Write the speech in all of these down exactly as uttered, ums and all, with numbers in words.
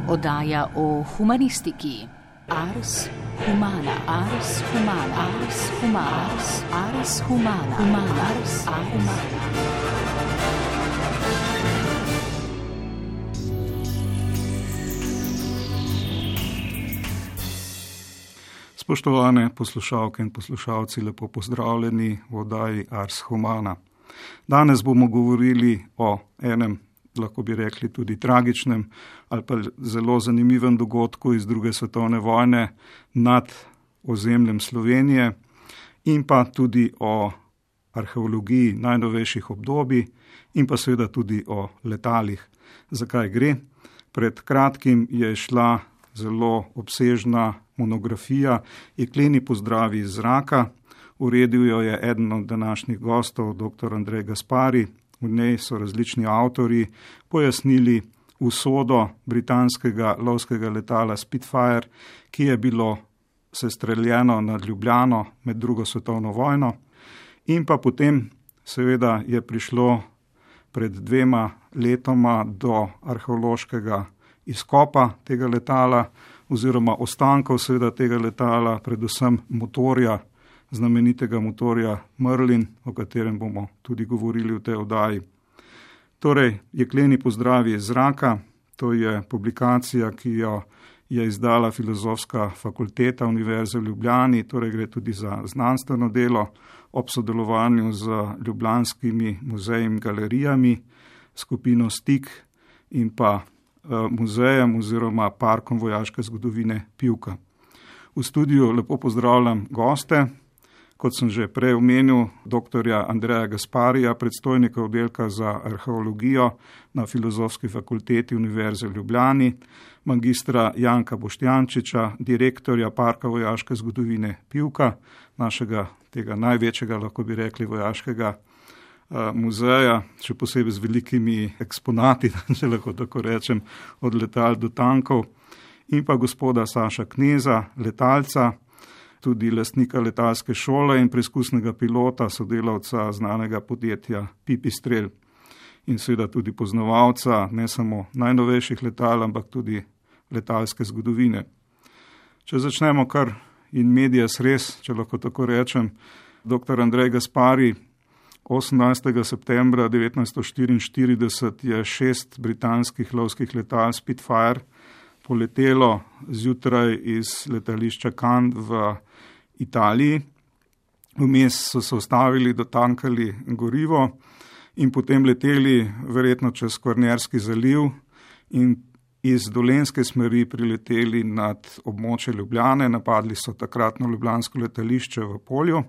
Oddaja o humanistiki. Ars humana, ars humana, ars humana, ars humana, humana, ars humana. Spoštovane poslušalke in poslušalci, lepo pozdravljeni v oddaji Ars Humana. Danes bomo govorili o enem, lahko bi rekli tudi tragičnem ali pa zelo zanimivem dogodku iz druge svetovne vojne nad ozemljem Slovenije in pa tudi o arheologiji najnovejših obdobij in pa seveda tudi o letalih. Zakaj gre? Pred kratkim je šla zelo obsežna monografija Jekleni pozdravi iz zraka. Uredil jo je eden od današnjih gostov, dr. Andrej Gaspari. V njej so različni avtorji pojasnili usodo britanskega lovskega letala Spitfire, ki je bilo sestreljeno nad Ljubljano med drugo svetovno vojno. In pa potem seveda je prišlo pred dvema letoma do arheološkega izkopa tega letala oziroma ostankov seveda tega letala, predvsem motorja, znamenitega motorja Merlin, o katerem bomo tudi govorili v tej oddaji. Torej, Jekleni pozdravi iz zraka, to je publikacija, ki jo je izdala Filozofska fakulteta Univerze v Ljubljani, torej gre tudi za znanstveno delo ob sodelovanju z ljubljanskimi muzeji in galerijami, skupino Stik in pa muzejem oziroma parkom vojaške zgodovine Pivka. V studiu lepo pozdravljam goste, kot sem že prej omenil, dr. Andreja Gasparija, predstojnika oddelka za arheologijo na Filozofski fakulteti Univerze v Ljubljani, magistra Janka Boštjančiča, direktorja parka vojaške zgodovine Pivka, našega tega največjega, lahko bi rekli, vojaškega muzeja, še posebej z velikimi eksponati, če lahko tako rečem, od letal do tankov, in pa gospoda Saša Kneza, letalca, tudi lastnika letalske šole in preizkusnega pilota, sodelavca znanega podjetja Pipistrel in seveda tudi poznavalca ne samo najnovejših letal, ampak tudi letalske zgodovine. Če začnemo kar in medias res, če lahko tako rečem, dr. Andrej Gaspari, osemnajstega septembra devetnajststo štiriinštirideset je šest britanskih lovskih letal Spitfire poletelo zjutraj iz letališča Cannes v Italiji. Vmes so se ustavili, dotankali gorivo in potem leteli verjetno čez Kvarnerski zaliv in iz dolenjske smeri prileteli nad območje Ljubljane, napadli so takratno ljubljansko letališče v Polju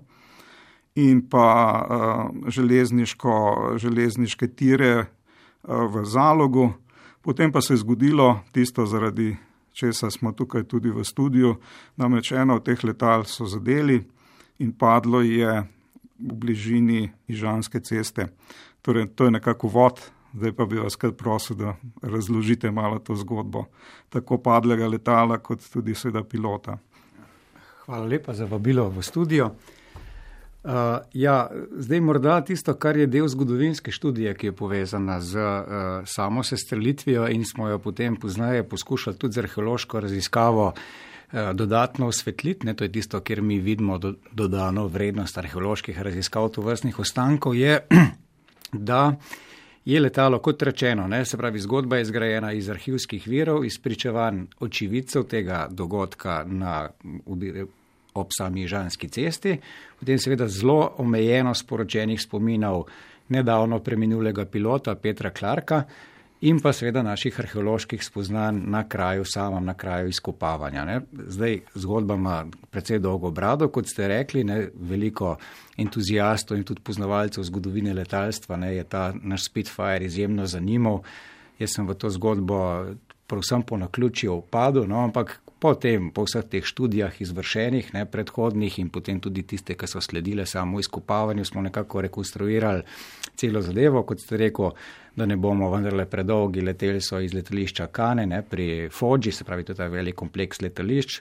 in pa uh, železniško, železniške tire uh, v Zalogu. Potem pa se je zgodilo tisto, zaradi česa smo tukaj tudi v studiu, namreč eno od teh letal so zadeli in padlo je v bližini Ižanske ceste. Torej, to je nekako vod, zdaj pa bi vas kar prosil, da razložite malo to zgodbo, tako padlega letala, kot tudi seveda pilota. Hvala lepa za vabilo v studio. Uh, ja, zdaj morda tisto, kar je del zgodovinske študije, ki je povezana z uh, samo sestrelitvijo in smo jo potem poznaje poskušali tudi z arheološko raziskavo uh, dodatno osvetliti, ne, to je tisto, kjer mi vidimo do, dodano vrednost arheoloških raziskav tovrstnih ostankov, je, da je letalo, kot rečeno, ne, se pravi, zgodba je zgrajena iz arhivskih virov, iz pričevanj očividcev tega dogodka na ob sami Ižanski cesti, potem seveda zelo omejeno sporočenih spominov nedavno preminulega pilota Petra Clarka in pa seveda naših arheoloških spoznanj na kraju samem, na kraju izkopavanja. Ne. Zdaj zgodba ima precej dolgo brado, kot ste rekli, ne, veliko entuzijastov in tudi poznavalcev zgodovine letalstva, ne, je ta naš Spitfire izjemno zanimal. Jaz sem v to zgodbo pravsem po naključju padel, no, ampak potem po vseh teh študijah izvršenih, ne, predhodnih in potem tudi tiste, ki so sledile samo izkopavanju, smo nekako rekonstruirali celo zadevo, kot ste rekel, da ne bomo vendarle predolgi, leteli so iz letališča Cannes, ne, pri Foggi, se pravi, to je ta velik kompleks letališč,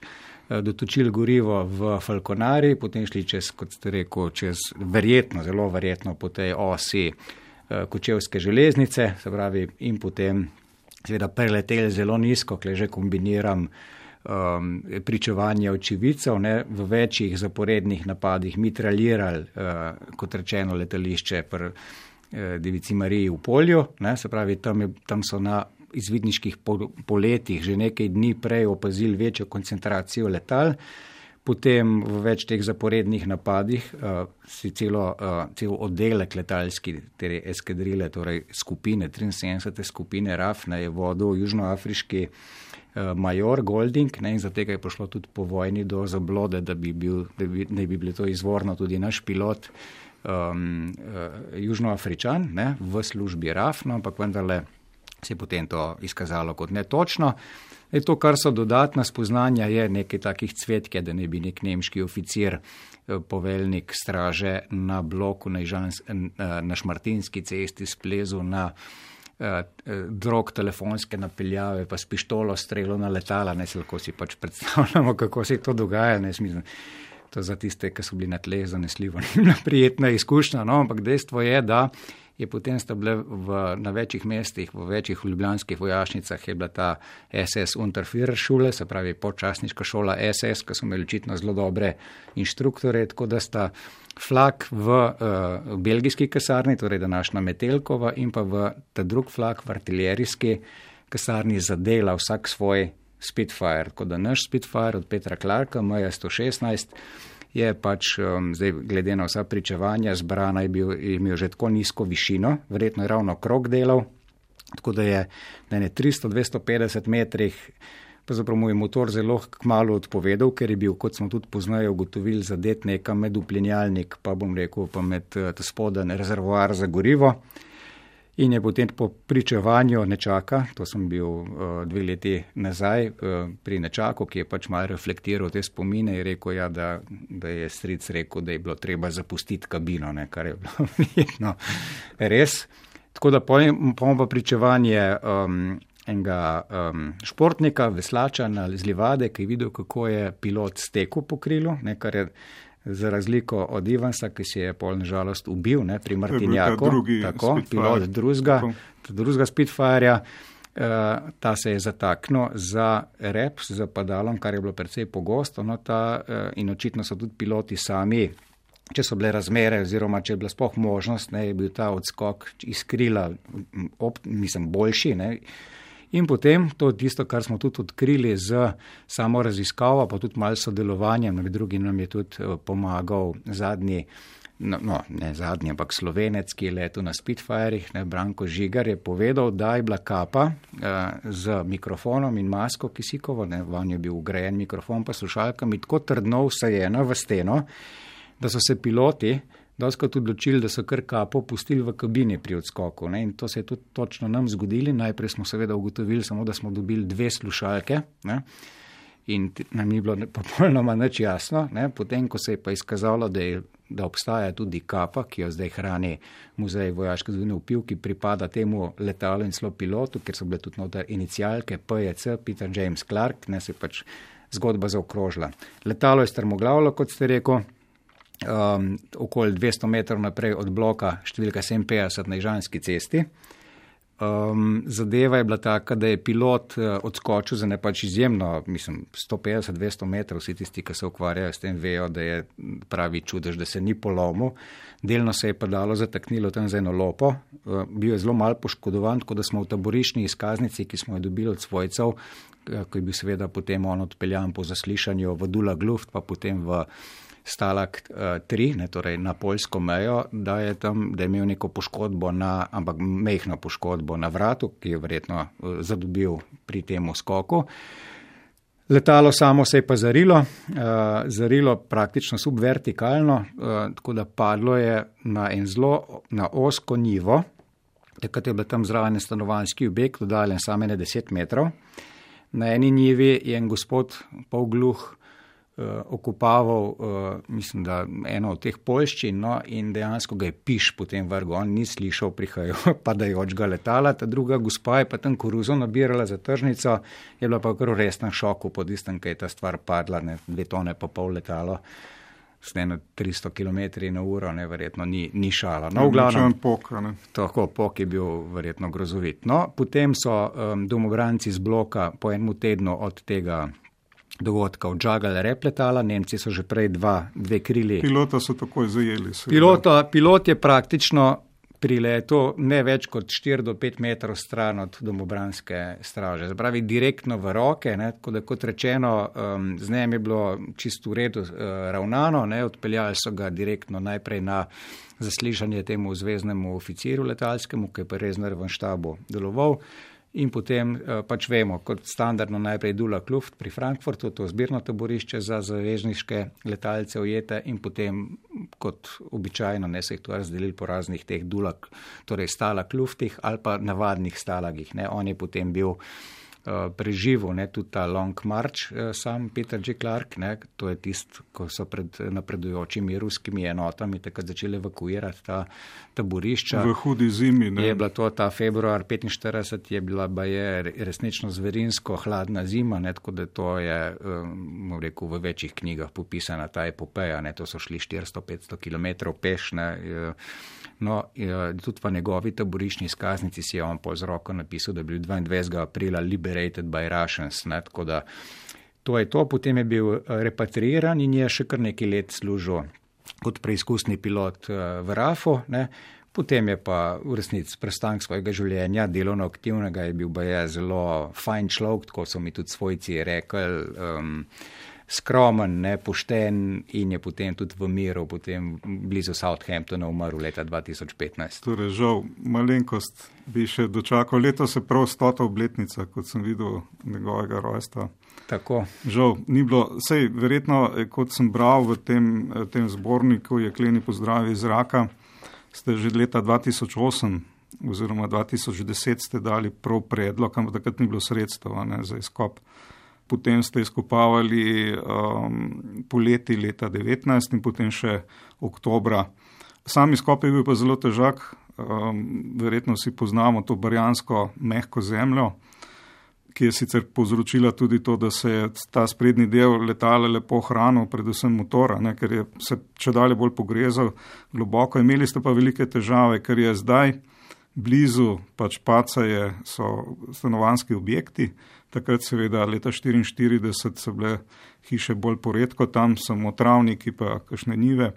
dotočili gorivo v Falconari, potem šli čez, kot ste rekel, čez verjetno, zelo verjetno po tej osi Kočevske železnice, se pravi, in potem seveda preleteli zelo nizko, kle že kombiniram um, pričevanje očividcev, ne, v večjih zaporednih napadih mitraljirali, uh, kot rečeno, letališče pri uh, Devici Mariji v Polju, ne, se pravi, tam, je, tam so na izvidniških poletih že nekaj dni prej opazili večjo koncentracijo letal, potem v več teh zaporednih napadih uh, si celo, uh, cel oddelek letalski, te eskadrile, torej skupine, triinsedemdesete skupine R A F, ne, je vodil južnoafriški uh, major Golding, ne, in zato je prišlo tudi po vojni do zablode, da bi, bil, da bi, da bi bili to izvorno tudi naš pilot um, uh, južnoafričan, ne, v službi R A F, no, ampak vendarle se je potem to izkazalo kot netočno. E to, kar so dodatna spoznanja, je nekaj takih cvetke, da ne bi nek nemški oficir, poveljnik straže na bloku na, Ižans, na Šmartinski cesti splezu na eh, drog telefonske napeljave, pa s pištolo strelo na letala, ne se lahko si pač predstavljamo, kako se to dogaja, ne smislim. To za tiste, ki so bili na tleh zanesljivo, ni prijetna izkušnja, no, ampak dejstvo je, da je potem sta bile v, na večjih mestih, v večjih ljubljanskih vojašnicah je bila ta S S Unterführerschule, se pravi počasniška šola S S, ki so imeli očitno zelo dobre inštruktore, tako da sta flak v uh, belgijski kasarni, torej današnja Metelkova, in pa v ta drug flak v artiljerijski kasarni zadela vsak svoj Spitfire, tako da naš Spitfire od Petra Clarka, M J sto šestnajst, je pač, um, zdaj glede na vsa pričevanja, zbrana je, bil, je imel že tako nizko višino, verjetno je ravno krog delal, tako da je na ne tristo do dvesto petdeset metrih, pa zapravo mu je motor zelo kmalu odpovedal, ker je bil, kot smo tudi poznajo ugotovili, zadet nekam med uplinjalnik, pa bom rekel, pa med uh, spoden rezervoar za gorivo. In je potem po pričevanju nečaka, to sem bil uh, dve leti nazaj uh, pri nečaku, ki je pač malo reflektiral te spomine, je rekel, ja, da, da je stric rekel, da je bilo treba zapustiti kabino, ne, kar je bilo verjetno res. Tako da pojem pa pričevanje um, enega um, športnika, veslača na Zlivade, ki je videl, kako je pilot stekel po krilu, ne, kar je za razliko od Ivansa, ki si je pol nažalost ubil, ne, pri Martinjaku, tako, pilot drugega, drugega Spitfireja, uh, ta se je zataknil za rep, za padalom, kar je bilo precej pogosto, no, ta, uh, in očitno so tudi piloti sami, če so bile razmere oziroma če je bila sploh možnost, ne, je bil ta odskok iz krila, op, mislim, boljši, ne. In potem, to je tisto, kar smo tudi odkrili z samo raziskavo, pa tudi malo sodelovanjem, med drugim nam je tudi pomagal zadnji, no, no ne zadnji, ampak Slovenec, ki je letel na Spitfirih, ne, Branko Žigar, je povedal, da je bila kapa uh, z mikrofonom in masko kisikovo, ne, vanj je bil ugrajen mikrofon pa slušalkami, tako trdno vsajena v steno, da so se piloti doskrat odločili, da so kar kapo pustili v kabini pri odskoku, ne, in to se je tudi točno nam zgodili. Najprej smo seveda ugotovili samo, da smo dobili dve slušalke, ne, in nam ni bilo popolnoma nič jasno, ne. Potem, ko se je pa izkazalo, da, je, da obstaja tudi kapa, ki jo zdaj hrani Muzej vojaške zgodovine v Pivki, pripada temu letalu in celo pilotu, ker so bile tudi noter inicialke P J C, Peter James Clark, ne, se pač zgodba zaokrožila. Letalo je strmoglavilo, kot ste rekel, Um, okoli dvesto metrov naprej od bloka številka sedeminpetdeset na Ižanski cesti. Um, zadeva je bila taka, da je pilot uh, odskočil za ne pač izjemno, mislim, sto petdeset do dvesto metrov, vsi tisti, ki se ukvarjajo s tem, vejo, da je pravi čudež, da se ni polomil. Delno se je pa dalo zataknilo tam za eno lopo, uh, bil je zelo malo poškodovan, tako da smo v taboriščni izkaznici, ki smo jo dobili od svojcev, uh, ko je bil seveda potem on odpeljan po zaslišanju v Dulag Luft, pa potem v Stalag tri, ne, torej na poljsko mejo, da je tam, da je imel neko poškodbo na, ampak mehno poškodbo na vratu, ki je verjetno zadobil pri tem skoku. Letalo samo se je pa zarilo, uh, zarilo praktično subvertikalno, uh, tako da padlo je na en zelo, na osko njivo, takrat je bil tam zraven stanovanjski objekt, oddaljen samo ne deset metrov. Na eni njivi je en gospod polgluh okupaval, uh, mislim, da eno od teh poljščin, no, in dejansko ga je piš potem vrgo, on ni slišal prihajajo padajočega letala, ta druga gospa je pa tam koruzo nabirala za tržnico, je bila pa kar v resnem šoku po tistem, kaj je ta stvar padla, ne, dve tone pa pol letalo s eno tristo kilometri na uro, ne, verjetno ni, ni šala. No, v glavnem, pok, ne. Tako, pok je bil verjetno grozovit. No, potem so um, domobranci z bloka po enem tednu od tega dogodka odžagali rep letala, Nemci so že prej dva, dve krili. Pilota so takoj zajeli. Pilota, pilot je praktično pri letu ne več kot štiri do pet metrov stran od domobranske straže. Zapravi direktno v roke, ne, tako da kot rečeno, um, z njem je bilo čisto v redu uh, ravnano, ne, odpeljali so ga direktno najprej na zaslišanje temu zveznemu oficirju letalskemu, ki je pa res na Revonštabu deloval. In potem pač vemo, kot standardno najprej Dula Kluft pri Frankfurtu, to zbirno taborišče za zavezniške letalce ujete in potem kot običajno ne se jih to razdelili po raznih teh Dula, torej stala Kluftih ali pa navadnih stalagih. Ne. On je potem bil uh, preživel, ne, tudi ta Long March, uh, sam Peter J. Clark, ne, to je tist, ko so pred napredujočimi ruskimi enotami takrat začeli evakuirati ta taborišča. V hudi zimi, ne. Je bila to ta februar petinštirideset, je bila baje resnično zverinsko hladna zima, ne, tako da to je, um, rekel, v večjih knjigah popisana ta epopeja, ne, to so šli štiristo petsto kilometrov peš, ne, no, tudi pa njegovi taboriščni izkaznici si je on po z roko napisal, da je bil dvaindvajsetega aprila liberated by Russians, ne, tako da to je to, potem je bil repatriiran in je še kar nekaj let služil kot preizkusni pilot v R A F-u, ne. Potem je pa v resnici prestank svojega življenja, delovno aktivnega, je bil baje zelo fajn človek, tako so mi tudi svojci rekli, um, skromen, ne, pošten in je potem tudi v miru, potem blizu Southamptona umrl leta dva tisoč petnajst. Torej, žal, malenkost bi še dočakal. Letos je prav stota obletnica, kot sem videl njegovega rojstva. Tako. Žal, ni bilo, sej verjetno, kot sem bral v tem, tem zborniku Jekleni pozdravi iz zraka, ste že leta dva tisoč osem oziroma dva tisoč deset ste dali prav predlog, ampak takrat ni bilo sredstva, ne, za izkop. Potem ste izkopavali um, poleti leta devetnajst in potem še oktobra. Sam izkop je bil pa zelo težak, um, verjetno vsi poznamo to barjansko mehko zemljo, ki je sicer povzročila tudi to, da se je ta sprednji del letala lepo hranil, predvsem motora, ne, ker je se če dalje bolj pogrezal globoko. Imeli ste pa velike težave, ker je zdaj blizu pač Pacaje so stanovanjski objekti. Takrat seveda leta štiriinštirideset so bile hiše bolj poredko, tam samo travniki pa kakšne njive.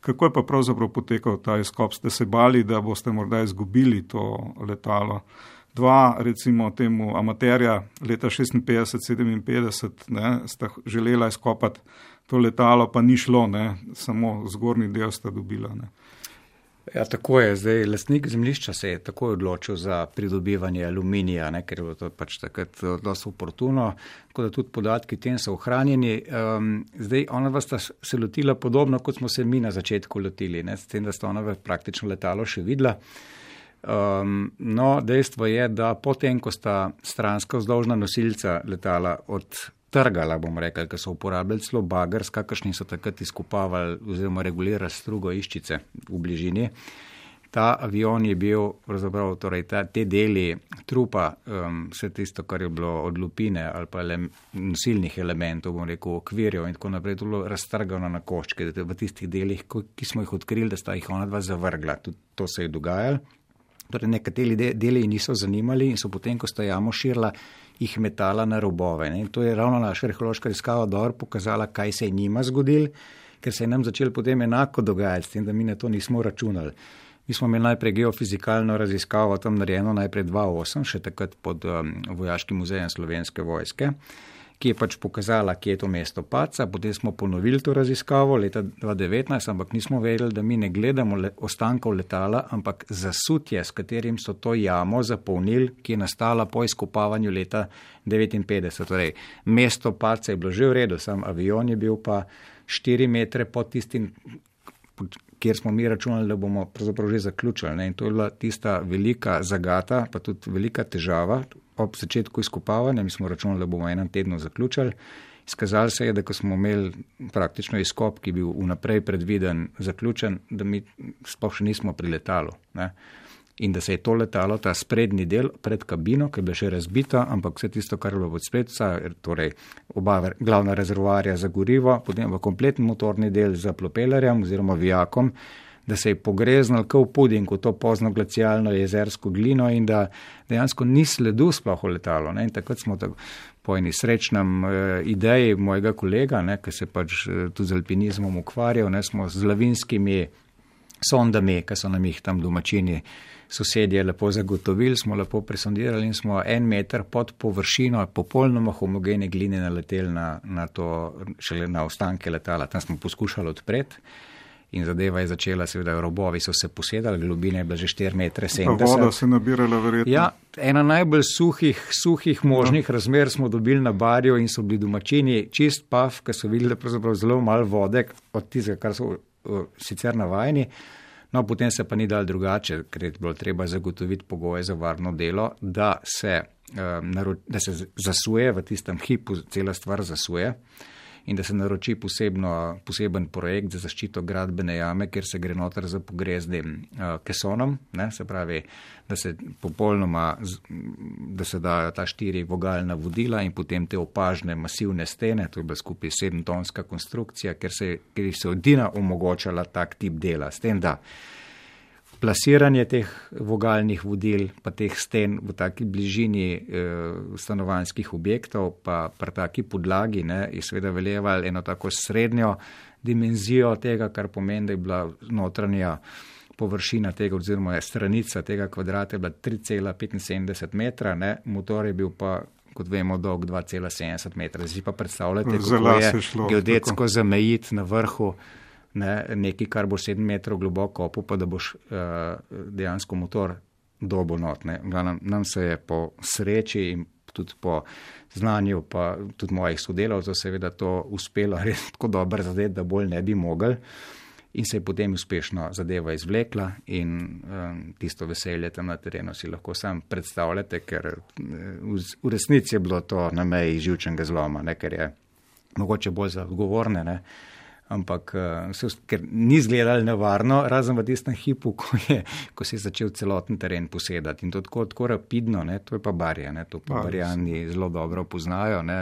Kako je pa pravzaprav potekal ta izkop? Ste se bali, da boste morda izgubili to letalo? Dva, recimo temu amaterja leta šestinpetdeset sedeminpetdeset, ne, sta želela izkopati to letalo, pa ni šlo, ne, samo zgornji del sta dobila, ne. Ja, tako je. Zdaj, lastnik zemljišča se je takoj odločil za pridobivanje aluminija, ne, ker je bilo to pač takrat dosti oportuno, tako da tudi podatki tem so ohranjeni. Um, zdaj, ona vas sta se lotila podobno, kot smo se mi na začetku lotili, ne, s tem, da sta ona praktično letalo še videla. Um, no, dejstvo je, da potem, ko sta stranska vzdolžna nosilca letala odtrgala, bom rekel, ker so uporabljali celo bager, s kakršnim so takrat izkopavali oziroma regulirali strugo iščice v bližini. Ta avion je bil, pravzaprav, torej ta, te deli trupa, um, vse tisto, kar je bilo od lupine ali pa ele, nosilnih elementov, bom rekel, okvirjev in tako naprej, to bilo raztrgano na koščke, v tistih delih, ki smo jih odkrili, da sta jih ona dva zavrgla. Tudi to se je dogajalo. Torej, nekateri deli niso zanimali in so potem, ko sta jamo širila, jih metala na robove. Ne? In to je ravno naša arheološka raziskava dobro pokazala, kaj se je njima zgodilo, ker se je nam začelo potem enako dogajati, s tem, da mi na to nismo računali. Mi smo imeli najprej geofizikalno raziskavo tam narejeno, najprej dva tisoč osem, še takrat pod um, Vojaškim muzejem Slovenske vojske, ki je pač pokazala, kje je to mesto Paca. Potem smo ponovili to raziskavo leta dva tisoč devetnajst, ampak nismo vedeli, da mi ne gledamo le, ostankov letala, ampak zasutje, s katerim so to jamo zapolnili, ki je nastala po izkopavanju leta devetinpetdeset. Torej, mesto Paca je bilo že v redu, sam avion je bil pa štiri metre pod tistim, kjer smo mi računali, da bomo pravzaprav že zaključili. Ne? In to je bila tista velika zagata, pa tudi velika težava. Ob začetku izkopavanja, mi smo računali, da bomo enem tednu zaključili. Izkazalo se je, da ko smo imeli praktično izkop, ki je bil vnaprej predviden, zaključen, da mi sploh še nismo pri letalu. Ne? in da se je to letalo, ta sprednji del pred kabino, ki je bila še razbita, ampak vse tisto, kar je bilo pod spredca, torej oba glavna rezervoarja za gorivo, potem v kompletni motorni del za propelerjem oziroma vijakom, da se je pogreznal kot v puding v to pozno glacialno jezersko glino in da dejansko ni sledu sploh v letalo. Ne? In takrat smo tako po eni srečnem eh, ideji mojega kolega, ne, ki se pač eh, tudi z alpinizmom ukvarjal, ne, smo z lavinskimi sondami, ki so nam jih tam domačini sosedje lepo zagotovili, smo lepo presondirali in smo en meter pod površino popolnoma homogene gline naleteli na, na to, šele na ostanke letala. Tam smo poskušali odpreti. In zadeva je začela, seveda, robovi so se posedali, globina je bila že štiri metre sedemdeset. Pa voda se nabirala verjetno. Ja, ena najbolj suhih, suhih možnih no. razmer smo dobili na Barju in so bili domačini čist pav, ker so videli pravzaprav zelo malo vode od tistega, kar so uh, sicer navajeni. No, potem se pa ni dal drugače, ker je bilo treba zagotoviti pogoje za varno delo, da se, uh, naro- da se zasuje, v tistem hipu cela stvar zasuje. In da se naroči posebno, poseben projekt za zaščito gradbene jame, kjer se gre noter za pogrezdim uh, kesonom, ne, se pravi, da se popolnoma, da se dajo ta štiri vogalna vodila in potem te opažne masivne stene, to je bila skupaj sedemtonska konstrukcija, ker se, ker se odina omogočala tak tip dela. S tem, da plasiranje teh vogalnih vodil, pa teh sten v taki bližini eh, stanovanjskih objektov, pa pri taki podlagi, ne, je seveda veljeval eno tako srednjo dimenzijo tega, kar pomeni, da je bila notranja površina tega, oziroma je stranica tega kvadrata je bila tri cela petinsedemdeset metra, ne, motor je bil pa, kot vemo, dolg dva cela sedemdeset metra. Zdaj pa predstavljate, kako je šlo, geodetsko tako zamejiti na vrhu Ne, nekaj, kar bo sedem metrov globoko opu, pa da boš uh, dejansko motor dobo not. Nam, nam se je po sreči in tudi po znanju, pa tudi mojih sodelavcev, seveda to uspelo res tako dobro zadeti, da bolj ne bi mogli. In se je potem uspešno zadeva izvlekla in um, tisto veselje tam na terenu si lahko sam predstavljate, ker v, v resnici je bilo to na meji živčnega zloma, ne, ker je mogoče bolj za odgovorne, ne. Ampak ker ni izgledalo nevarno, razen v tistem hipu, ko, je, ko se je začel celoten teren posedati. In to tako, tako rapidno, ne, to je pa Barja, ne, to pa Barjani zelo dobro poznajo, ne,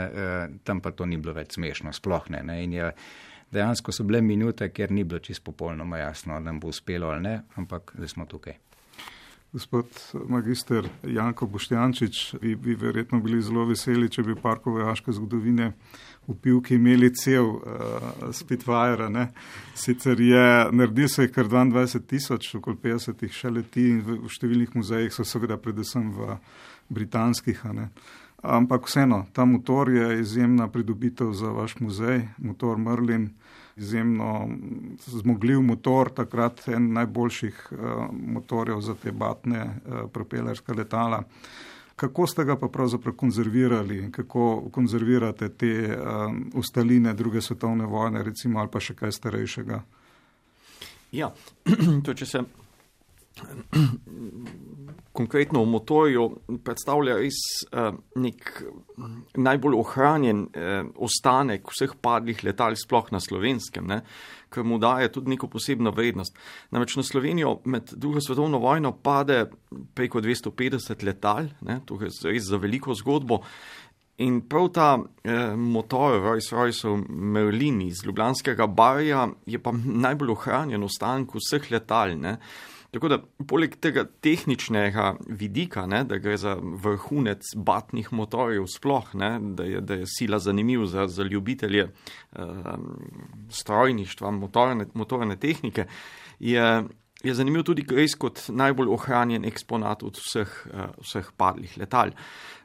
tam pa to ni bilo več smešno, sploh ne. ne in je, dejansko so bile minute, ker ni bilo čisto popolnoma jasno, da nam bo uspelo ali ne, ampak zdaj smo tukaj. Gospod magister Janko Boštjančič, vi bi verjetno bili zelo veseli, če bi parkov vojaške zgodovine v Pivki imeli cel uh, Spitfire, ne. Sicer je, naredil se je kar dvaindvajset tisoč, okoli petdesetih še leti in v, v številnih muzejih so seveda predvsem v britanskih, ne. Ampak vseeno, ta motor je izjemna pridobitev za vaš muzej, motor Merlin, izjemno zmogljiv motor, takrat en najboljših uh, motorjev za te batne uh, propelerska letala. Kako ste ga pa pravzaprav konzervirali, kako konzervirate te uh, ostaline druge svetovne vojne, recimo, ali pa še kaj starejšega? Ja, to če se konkretno v motorju predstavlja res eh, nek najbolj ohranjen eh, ostanek vseh padlih letal sploh na Slovenskem, ne, ker mu daje tudi neko posebno vrednost. Namreč na Slovenijo med drugo svetovno vojno pade preko dvesto petdeset letal, ne, to je res za veliko zgodbo. In prav ta eh, motor Rolls-Royceov Merlin iz ljubljanskega Barja je pa najbolj ohranjen ostanek vseh letal, ne. Tako da, poleg tega tehničnega vidika, ne, da gre za vrhunec batnih motorjev sploh, ne, da, je, da je sila zanimiv za, za ljubitelje uh, strojništva, motorne, motorne tehnike, je, je zanimiv tudi res kot najbolj ohranjen eksponat od vseh, uh, vseh padlih letal.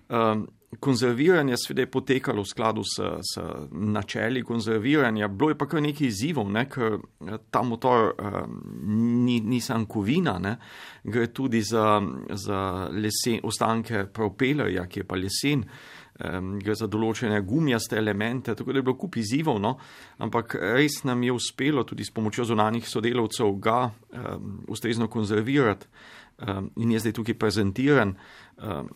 Um, konzerviranje seveda je potekalo v skladu s, s načeli konzerviranja, bilo je pa kar nekaj izzivov, ne, ker ta motor um, ni, ni sam kovina, ne, gre tudi za, za lesen, ostanke propelerja, ki je pa lesen, um, gre za določene gumijaste elemente, tako da je bilo kup izzivov, no, ampak res nam je uspelo tudi s pomočjo zunanjih sodelavcev ga um, ustrezno konzervirati um, in je zdaj tukaj prezentiran. Um,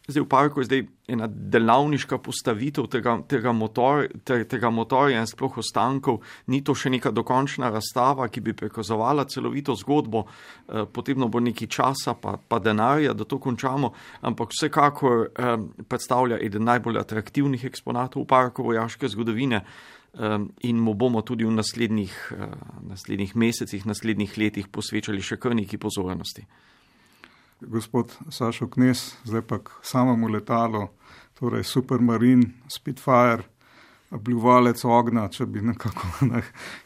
zdaj v parku je zdaj ena delavniška postavitev tega, tega, motor, te, tega motorja in sploh ostankov, ni to še neka dokončna razstava, ki bi prikazovala celovito zgodbo, eh, potrebno bo nekaj časa pa, pa denarja, da to končamo, ampak vsekakor eh, predstavlja eden najbolj atraktivnih eksponatov v parku vojaške zgodovine eh, in mu bomo tudi v naslednjih, eh, naslednjih mesecih, naslednjih letih posvečali še kar nekaj pozornosti. Gospod Sašo Knez, zdaj pa k samemu letalu, torej Supermarine, Spitfire, bljuvalec ognja, če bi nekako ne,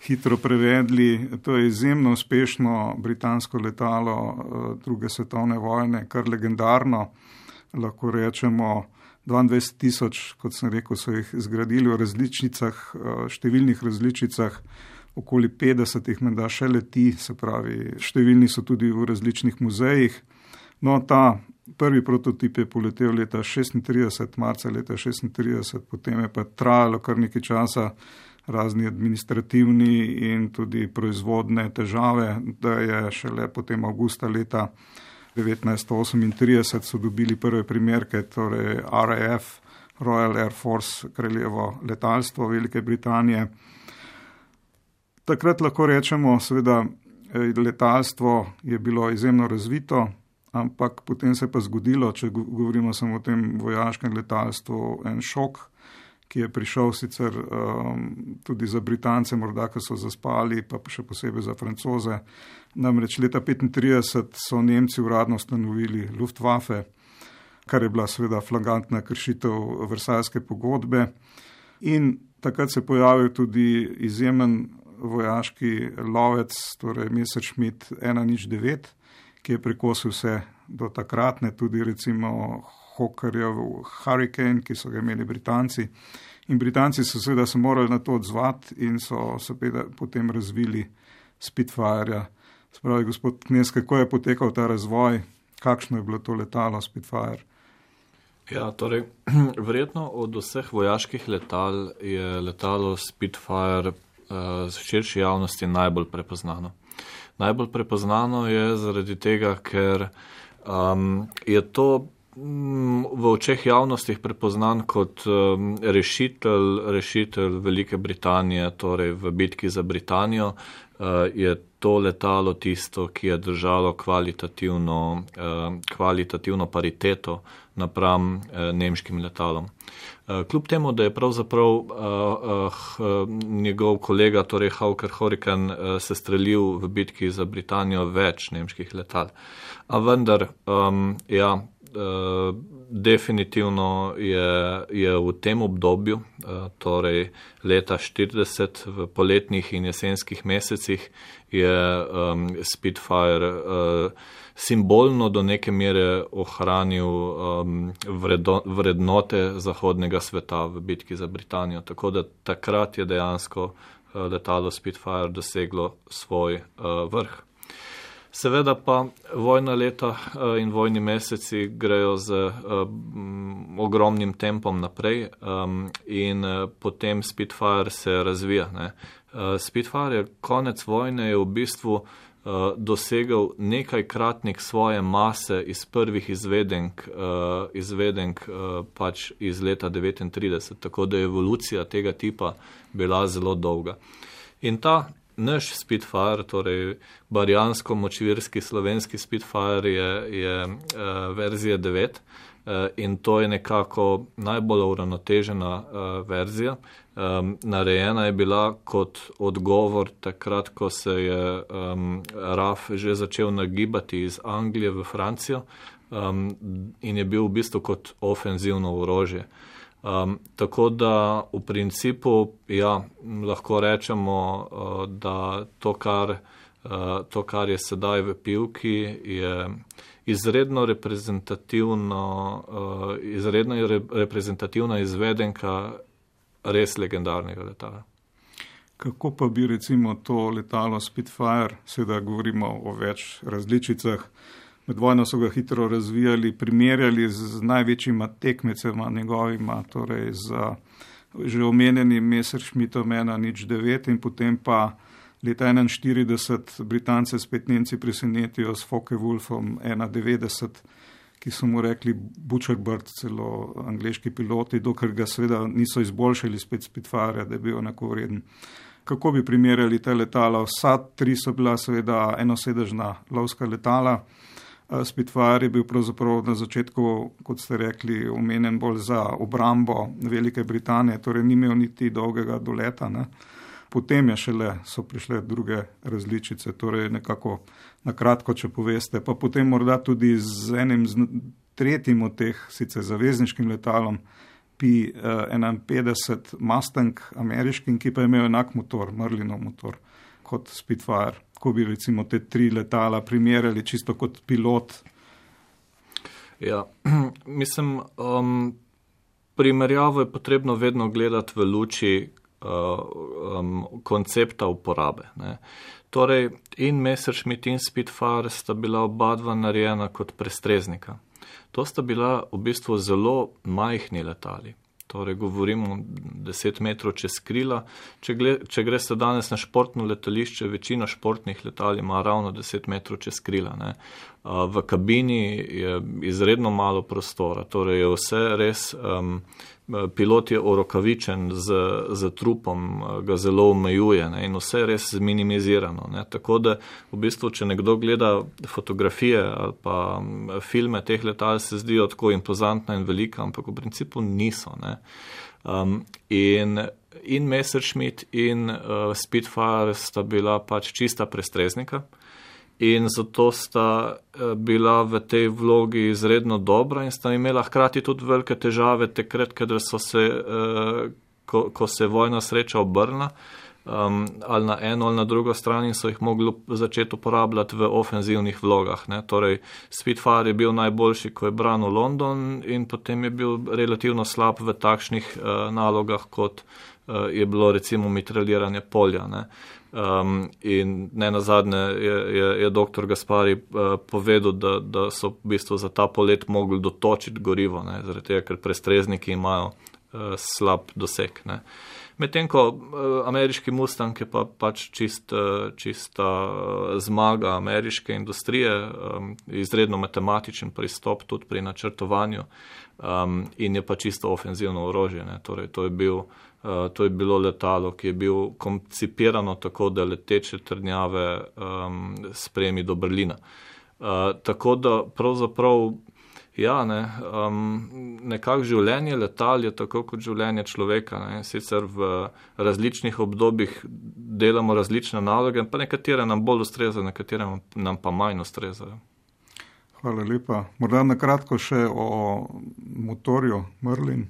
hitro prevedli. To je izjemno uspešno britansko letalo druge svetovne vojne, kar legendarno, lahko rečemo dvaindvajset tisoč, kot sem rekel, so jih zgradili v različnicah, številnih različicah, okoli petdesetih menda še leti, se pravi, številni so tudi v različnih muzejih. No, ta prvi prototip je poletel leta šestintrideset, marca leta šestintrideset, potem je pa trajalo kar nekaj časa razni administrativni in tudi proizvodne težave, da je šele potem avgusta leta devetnajststo osemintrideset so dobili prve primerke, torej R A F, Royal Air Force, kraljevo letalstvo Velike Britanije. Takrat lahko rečemo, seveda, letalstvo je bilo izjemno razvito, ampak potem se je pa zgodilo, če govorimo samo o tem vojaškem letalstvu, en šok, ki je prišel sicer um, tudi za Britance, morda, ki so zaspali, pa še posebej za Francoze. Namreč leta petintrideset so Nemci uradno ustanovili Luftwaffe, kar je bila seveda flagrantna kršitev Versajske pogodbe. In takrat se je pojavil tudi izjemen vojaški lovec, torej Messerschmitt ena nič devet, ki je prekosil vse do takratne, tudi recimo Hawkerjev Hurricane, ki so ga imeli Britanci. In Britanci so seveda se morali na to odzvati in so seveda potem razvili Spitfire. Spravi, gospod Knez, kako je potekal ta razvoj, kakšno je bilo to letalo Spitfire? Ja, torej, verjetno od vseh vojaških letal je letalo Spitfire uh, z širši javnosti najbolj prepoznano. Najbolj prepoznano je zaradi tega, ker um, je to um, v očeh javnosti prepoznan kot um, rešitelj, rešitelj Velike Britanije, torej v bitki za Britanijo, uh, je to letalo tisto, ki je držalo kvalitativno, uh, kvalitativno pariteto napram uh, nemškim letalom. Kljub temu, da je pravzaprav uh, uh, njegov kolega, torej Hawker Hurricane, uh, se strelil v bitki za Britanijo več nemških letal. A vendar, um, ja, uh, definitivno je, je v tem obdobju, uh, torej leta štirideset, v poletnih in jesenskih mesecih, je um, Spitfire uh, simbolno do neke mere ohranil um, vredo, vrednote zahodnega sveta v bitki za Britanijo. Tako da takrat je dejansko uh, letalo Spitfire doseglo svoj uh, vrh. Seveda pa vojna leta uh, in vojni meseci grejo z uh, m, ogromnim tempom naprej um, in uh, potem Spitfire se razvija. Ne? Uh, Spitfire je konec vojne je v bistvu dosegel nekajkratnik svoje mase iz prvih izvedenk, uh, izvedenk uh, pač iz leta devetintrideset, tako da je evolucija tega tipa bila zelo dolga. In ta naš Spitfire, torej barjansko močvirski slovenski Spitfire je, je uh, verzija devet uh, in to je nekako najbolj uravnotežena uh, verzija. Um, narejena je bila kot odgovor takrat, ko se je um, R A F že začel nagibati iz Anglije v Francijo um, in je bil v bistvu kot ofenzivno orožje. Um, tako da v principu, ja, lahko rečemo, uh, da to kar, uh, to, kar je sedaj v Pivki, je izredno reprezentativno, uh, izredno re, reprezentativna izvedenka res legendarnega letala. Kako pa bi recimo to letalo Spitfire, seveda govorimo o več različicah, med vojno so ga hitro razvijali, primerjali z največjima tekmecema njegovima, torej z že omenjenim Messerschmittom ena nič devet in potem pa leta enainštirideset Britance spet Nemci presenetijo s Focke-Wulfom ena devetdeset, ki so mu rekli Butcherbird, celo angleški piloti, dokler ga seveda niso izboljšali spet Spitfire, da je bil enakovreden. Kako bi primerjali te letala? Vsa tri so bila seveda enosedežna lovska letala. Spitfire je bil pravzaprav na začetku, kot ste rekli, omenjen bolj za obrambo Velike Britanije, torej ni imel niti dolgega doleta, ne. Potem je šele, so prišle druge različice, torej nekako na kratko, če poveste, pa potem morda tudi z enim z tretjim od teh, sicer zavezniškim letalom, P enainpetdeset Mustang ameriškim, ki pa je imel enak motor, Merlinov motor, kot Spitfire. Ko bi recimo te tri letala primerjali čisto kot pilot? Ja, mislim, um, primerjavo je potrebno vedno gledati v luči Uh, um, koncepta uporabe. Ne. Torej, in Messerschmitt in Spitfire sta bila oba dva narejena kot prestreznika. To sta bila v bistvu zelo majhni letali. Torej, govorimo deset metrov čez krila. Če, gled, če greste danes na športno letališče, večina športnih letal ima ravno deset metrov čez krila. Ne. Uh, v kabini je izredno malo prostora, torej je vse res um, pilot je orokavičen z, z trupom, ga zelo omejuje, ne, in vse je res minimizirano. Ne. Tako da v bistvu, če nekdo gleda fotografije ali pa filme teh letal, se zdijo tako impozantna in velika, ampak v principu niso. Ne. Um, in, in Messerschmitt in uh, Spitfire sta bila pač čista prestreznika. In zato sta bila v tej vlogi izredno dobra in sta imela hkrati tudi velike težave takrat, kadar so se, ko, ko se je vojna sreča obrnila, um, ali na eno ali na drugo stran, in so jih mogli začeti uporabljati v ofenzivnih vlogah. Ne. Torej, Spitfire je bil najboljši, ko je branil London, in potem je bil relativno slab v takšnih uh, nalogah, kot uh, je bilo recimo mitraljiranje polja. Ne. Um, in ne nazadnje je, je, je doktor Gaspari uh, povedal, da, da so v bistvu za ta polet mogli dotočiti gorivo, ne, zaradi tega, ker prestrezniki imajo uh, slab doseg. Ne. Medtem ko uh, ameriški Mustang je pa pač čist, uh, čista uh, zmaga ameriške industrije, um, izredno matematičen pristop tudi pri načrtovanju, um, in je pa čisto ofenzivno orožje. Ne. Torej, to je bil Uh, to je bilo letalo, ki je bil koncipirano tako, da leteče trdnjave um, spremi do Berlina. Uh, tako da pravzaprav, ja, ne, um, nekako življenje letal je tako kot življenje človeka. Ne. Sicer v različnih obdobjih delamo različne naloge, pa nekatere nam bolj ustrezajo, nekatere nam pa manj ustrezajo. Hvala lepa. Morda na kratko še o motorju Merlin,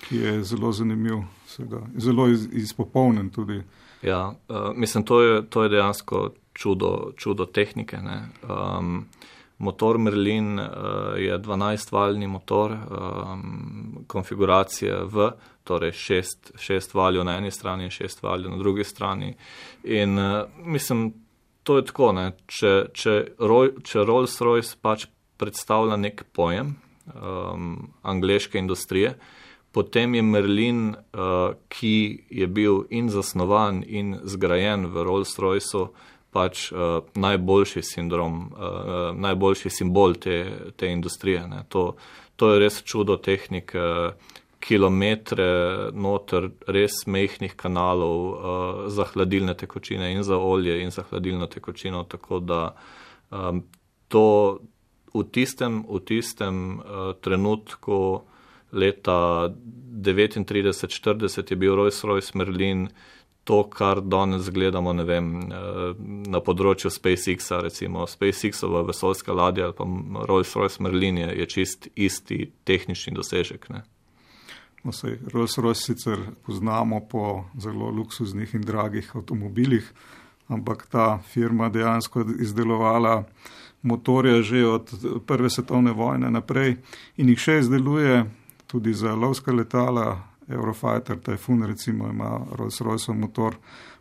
ki je zelo zanimiv, seveda, zelo iz, izpopolnen tudi. Ja, uh, mislim, to je, to je dejansko čudo, čudo tehnike. Ne. Um, motor Merlin uh, je dvanajstvaljni motor, um, konfiguracije V, torej šest, šest valjev na eni strani in šest valjev na drugi strani. In uh, mislim, to je tako, ne. Če, če, če Rolls-Royce pač predstavlja nek pojem um, angleške industrije, potem je Merlin, uh, ki je bil in zasnovan in zgrajen v Rolls-Royceu, pač uh, najboljši sindrom, uh, najboljši simbol te, te industrije. Ne. To, to je res čudo tehnike, kilometre noter res mehkih kanalov uh, za hladilne tekočine in za olje in za hladilno tekočino, tako da um, to v tistem, v tistem uh, trenutku leta devetintrideset štirideset je bil Rolls-Royce Merlin to, kar danes gledamo, ne vem, na področju SpaceX-a, recimo SpaceX-ova vesoljska ladja ali pa Rolls-Royce Merlin je, je čist isti tehnični dosežek. Ne? No, sej, Rolls-Royce sicer poznamo po zelo luksuznih in dragih avtomobilih, ampak ta firma dejansko izdelovala motorje že od prve svetovne vojne naprej in jih še izdeluje tudi za lovska letala. Eurofighter Typhoon recimo ima Rolls-Royceov motor,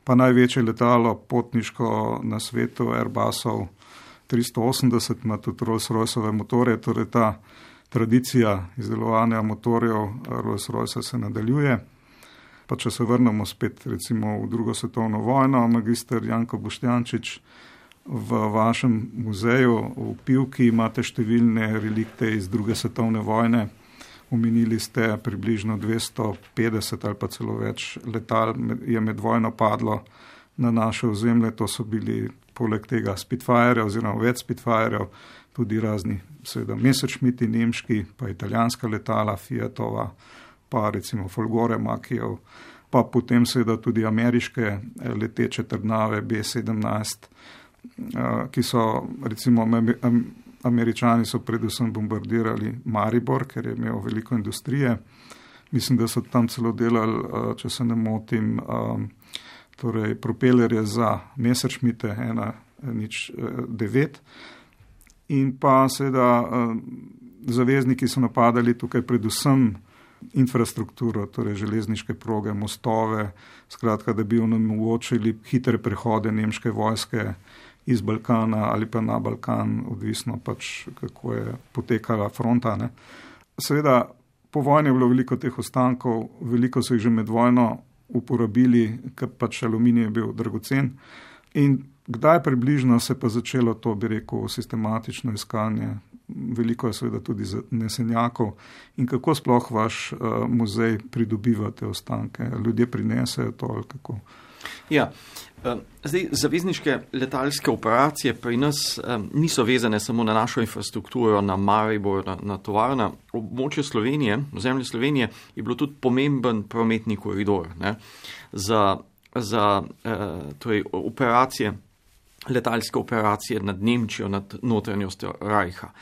pa največje letalo potniško na svetu Airbusov tristo osemdeset ima tudi Rolls-Royceove motorje, torej ta tradicija izdelovanja motorjev Rolls-Royce se nadaljuje. Pa če se vrnemo spet recimo v drugo svetovno vojno, magister Janko Boštjančič v vašem muzeju v Pivki imate številne relikte iz druge svetovne vojne. Omenili ste približno dvesto petdeset ali pa celo več letal je med vojno padlo na naše ozemlje. To so bili poleg tega Spitfire oziroma več Spitfirejev, tudi razni seveda Messerschmitti nemški, pa italijanska letala Fiatova, pa recimo Folgore Makijev, pa potem seveda tudi ameriške leteče trdnave B sedemnajst, ki so recimo Američani so predvsem bombardirali Maribor, ker je imel veliko industrije. Mislim, da so tam celo delali, če se ne motim, torej propelerje za Messerschmitte ena nič devet. In pa seveda zavezniki so napadali tukaj predvsem infrastrukturo, torej železniške proge, mostove, skratka, da bi onemogočili hitre prehode nemške vojske iz Balkana ali pa na Balkan, odvisno pač, kako je potekala fronta. Ne. Seveda, po vojni je bilo veliko teh ostankov, veliko so jih že med vojno uporabili, ker pač aluminij je bil dragocen. In kdaj približno se pa začelo to, bi rekel, sistematično iskanje? Veliko je seveda tudi nesenjakov. In kako sploh vaš uh, muzej pridobiva te ostanke? Ljudje prinesejo to ali kako? Ja, zdaj, zavezniške letalske operacije pri nas um, niso vezane samo na našo infrastrukturo, na Maribor, na, na tovarna. Območje Slovenije, ozemlje Slovenije je bilo tudi pomemben prometni koridor, ne, za, za uh, torej, operacije, letalske operacije nad Nemčijo, nad notranjostjo Rajha.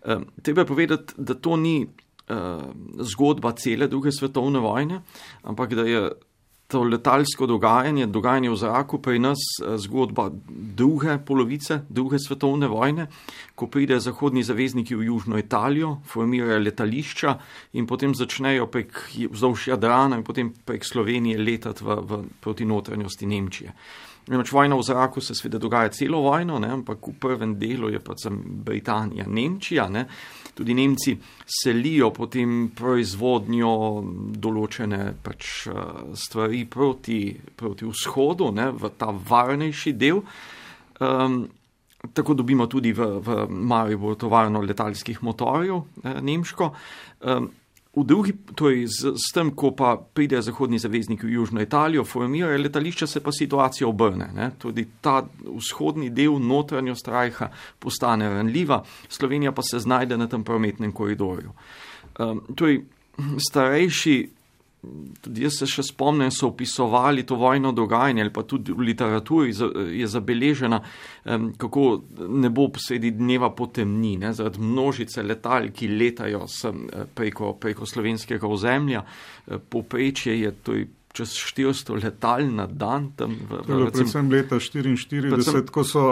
Um, treba povedati, da to ni uh, zgodba cele druge svetovne vojne, ampak da je to letalsko dogajanje, dogajanje v zraku pri nas zgodba druge polovice, druge svetovne vojne, ko pride zahodni zavezniki v južno Italijo, formirajo letališča in potem začnejo prek vzdolž Jadrana in potem prek Slovenije letati v, v, proti notranjosti Nemčije. Nemoč vojna v zraku se sveda dogaja celo vojno, ne, ampak v prvem delu je pač Britanija, Nemčija, ne. Tudi Nemci selijo potem proizvodnjo določene pač stvari proti, proti vzhodu, ne, v ta varnejši del. Um, tako dobimo tudi v, v Mariboru tovarno letalskih motorjev, eh, nemško. Um, V drugi, torej z, s tem, ko pa pride zahodni zavezniki v južno Italijo, formirajo letališča, se pa situacija obrne. Ne? Tudi ta vzhodni del notranjost Rajha postane ranljiva, Slovenija pa se znajde na tem prometnem koridorju. Um, torej, starejši, tudi jaz se še spomnim, so opisovali to vojno dogajanje, ali pa tudi v literaturi je zabeležena, um, kako nebo sredi dneva potemni, ne, zaradi množice letal, ki letajo sem, preko, preko slovenskega ozemlja. Povprečje je to čez štiristo letal na dan. Tam v, v, recim, predvsem leta štiriinštirideset, predvsem, ko so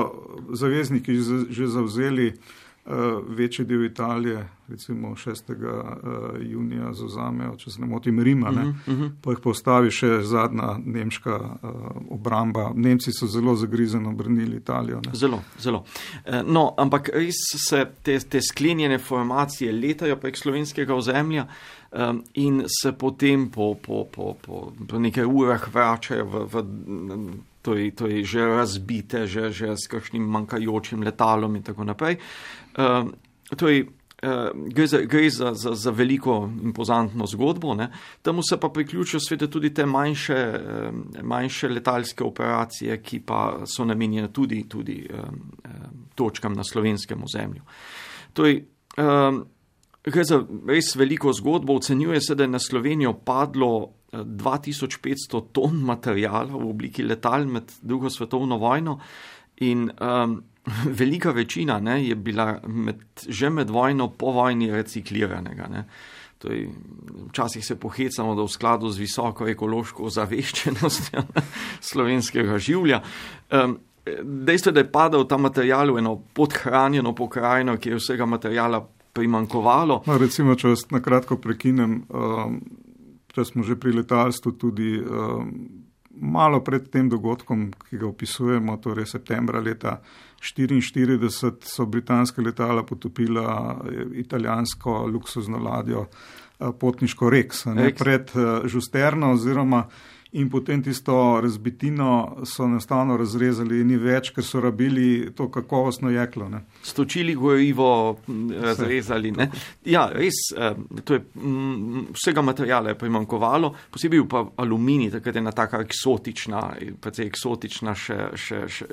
zavezniki že zavzeli uh, večji del Italije, recimo šestega junija zauzamejo, če se ne motim, Rima, ne? Uh-huh, uh-huh. Pa jih postavi še zadnja nemška uh, obramba. Nemci so zelo zagrizeno brnili Italijo. Ne? Zelo, zelo. No, ampak res se te, te sklenjene formacije letajo prek slovenskega ozemlja um, in se potem po, po, po, po, po nekaj urah vračajo v, v to je, to je že razbite, že, že s kakšnim manjkajočim letalom in tako naprej. Um, to je Uh, gre, za, gre za, za, za veliko impozantno zgodbo, ne. Temu se pa priključijo sveda tudi te manjše, um, manjše letalske operacije, ki pa so namenjene tudi, tudi um, um, točkam na slovenskem ozemlju. Torej, um, gre za res veliko zgodbo, ocenjuje se, da je na Slovenijo padlo dva tisoč petsto ton materijala v obliki letal med drugo svetovno vojno in um, velika večina, ne, je bila med, že med vojno po vojni recikliranega. Ne. To je, včasih se pohecamo, da v skladu z visoko ekološko ozaveščenostjo slovenskega življa. Um, dejstvo je, da je padal ta material v eno podhranjeno pokrajino, ki je vsega materijala primankovalo. No, recimo, če vas na kratko prekinem, um, če smo že pri letalstvu tudi um, malo pred tem dogodkom, ki ga opisujemo, torej septembra leta štiriinštirideset, so britanska letala potopila italijansko luksuzno ladjo potniško Rex, ne, pred Žusterno oziroma in potem tisto razbitino so enostavno razrezali in ni več, ker so rabili to kakovostno jeklo. Ne. Stočili gorivo, razrezali. Ne. Ja, res, to je, vsega materijala je primanjkovalo, posebej pa aluminij, takrat je ena taka eksotična, precej eksotična, še, še, še,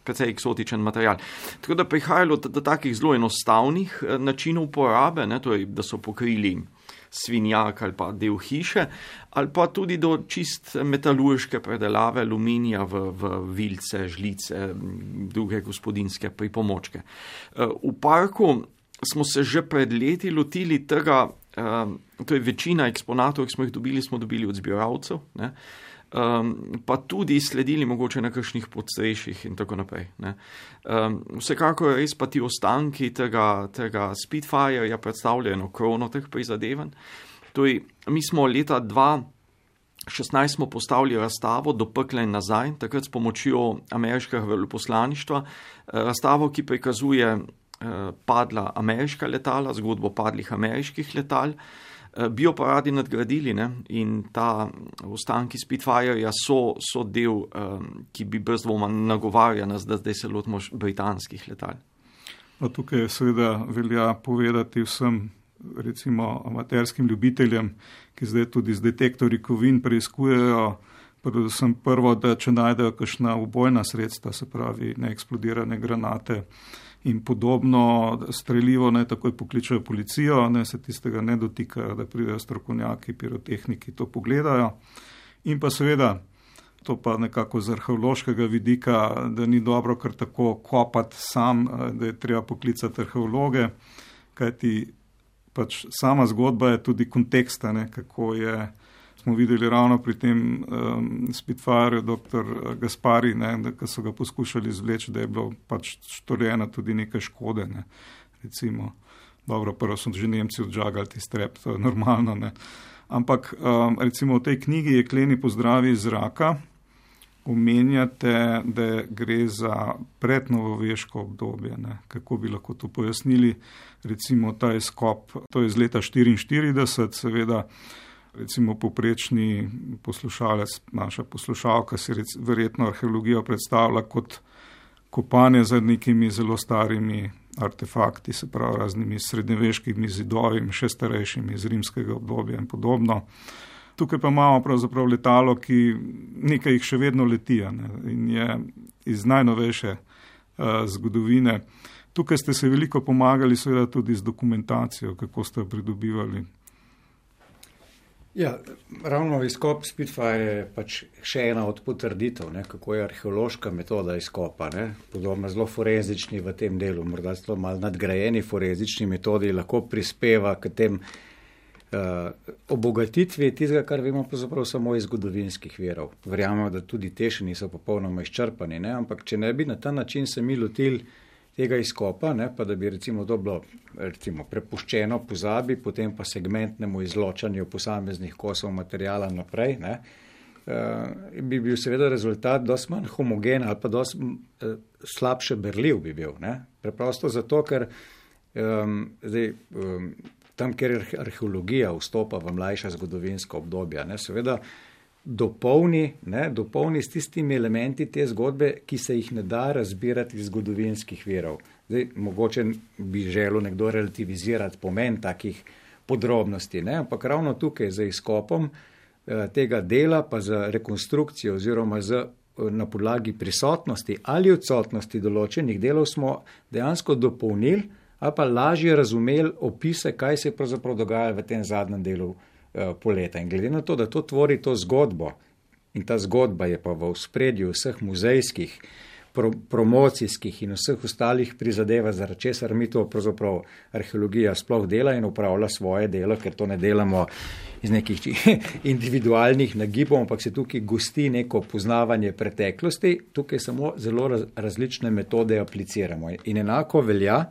precej eksotičen material. Tako da prihajalo do, do takih zelo enostavnih načinov uporabe, ne, to je, da so pokrili svinjak ali pa del hiše, ali pa tudi do čist metalurške predelave aluminija v, v vilce, žlice, druge gospodinske pripomočke. V parku smo se že pred leti lotili tega, to je večina eksponatov, ki smo jih dobili, smo dobili od zbiralcev, ne? Um, pa tudi sledili mogoče na kakšnih podstrešjih in tako naprej. Ne. Um, vsekakor res pa ti ostanki tega, tega Spitfireja predstavljajo eno krono teh prizadevanj. Torej, mi smo leta dva tisoč šestnajst smo postavili razstavo Do pekla in nazaj, takrat s pomočjo ameriškega veleposlaništva, razstavo, ki prikazuje uh, padla ameriška letala, zgodbo padlih ameriških letal. Bi jo pa radi nadgradili, ne? In ta ostanki Spitfireja so, so del, um, ki bi brez dvoma nagovarja nas, da zdaj se lotimo britanskih letal. No, tukaj seveda velja povedati vsem, recimo amaterskim ljubiteljem, ki zdaj tudi z detektorji kovin preiskujejo, predvsem prvo, da če najdejo kakšna ubojna sredstva, se pravi neeksplodirane granate in podobno streljivo, ne takoj pokličajo policijo, ne se tistega ne dotikajo, da pridejo strokovnjaki, pirotehniki to pogledajo. In pa seveda, to pa nekako z arheološkega vidika, da ni dobro kar tako kopati sam, da je treba poklicati arheologe, kajti pač sama zgodba je tudi konteksta, ne, kako je, smo videli ravno pri tem um, Spitfireju doktor Gaspari, ne, da, ko so ga poskušali izvleči, da je bilo pač storjena tudi nekaj škode. Ne. Recimo, dobro, prvo so že Nemci odžagali ti strep, to je normalno. Ne. Ampak um, recimo v tej knjigi Jekleni pozdravi iz zraka omenjate, da gre za prednovoveško obdobje. Ne. Kako bi lahko to pojasnili? Recimo ta izkop, to je iz leta štiriinštirideset, seveda, recimo poprečni poslušalec, naša poslušalka si rec, verjetno arheologijo predstavlja kot kopanje za nekimi zelo starimi artefakti, se pravi raznimi srednjeveškimi zidovi, še starejšimi iz rimskega obdobja in podobno. Tukaj pa imamo pravzaprav letalo, ki nekaj jih še vedno leti, ne, in je iz najnovejše uh, zgodovine. Tukaj ste se veliko pomagali seveda tudi z dokumentacijo, kako ste jo pridobivali. Ja, ravno izkop Spitfire je pač še ena od potrditev, ne, kako je arheološka metoda izkopa. Ne. Podobno zelo forenzični v tem delu, morda zelo malo nadgrajeni forenzični metodi lahko prispeva k tem uh, obogatitvi tistega, kar vemo pravzaprav samo iz zgodovinskih virov. Verjamemo, da tudi te še niso popolnoma izčrpani, ne, ampak če ne bi na ta način se mi lotili tega izkopa, ne, pa da bi recimo to bilo recimo, prepuščeno pozabi, potem pa segmentnemu izločanju posameznih kosov materijala naprej, ne, uh, bi bil seveda rezultat dosti manj homogen ali pa dosti uh, slabše berljiv bi bil. Ne. Preprosto zato, ker um, zdaj, um, tam, ker arheologija vstopa v mlajša zgodovinska obdobja, ne, seveda dopolni, ne, dopolni s tistimi elementi te zgodbe, ki se jih ne da razbirati iz zgodovinskih virov. Zdaj, mogoče bi želel nekdo relativizirati pomen takih podrobnosti, ne, ampak ravno tukaj za izkopom eh, tega dela, pa za rekonstrukcijo oziroma za, na podlagi prisotnosti ali odsotnosti določenih delov smo dejansko dopolnili ali pa lažje razumeli opise, kaj se pravzaprav dogaja v tem zadnjem delu poleta. In glede na to, da to tvori to zgodbo in ta zgodba je pa v ospredju vseh muzejskih, pro, promocijskih in vseh ostalih prizadeva, zaradi česar mi to pravzaprav arheologija sploh dela in upravlja svoje delo, ker to ne delamo iz nekih individualnih nagibov, ampak se tukaj gosti neko poznavanje preteklosti, tukaj samo zelo raz, različne metode apliciramo. In enako velja,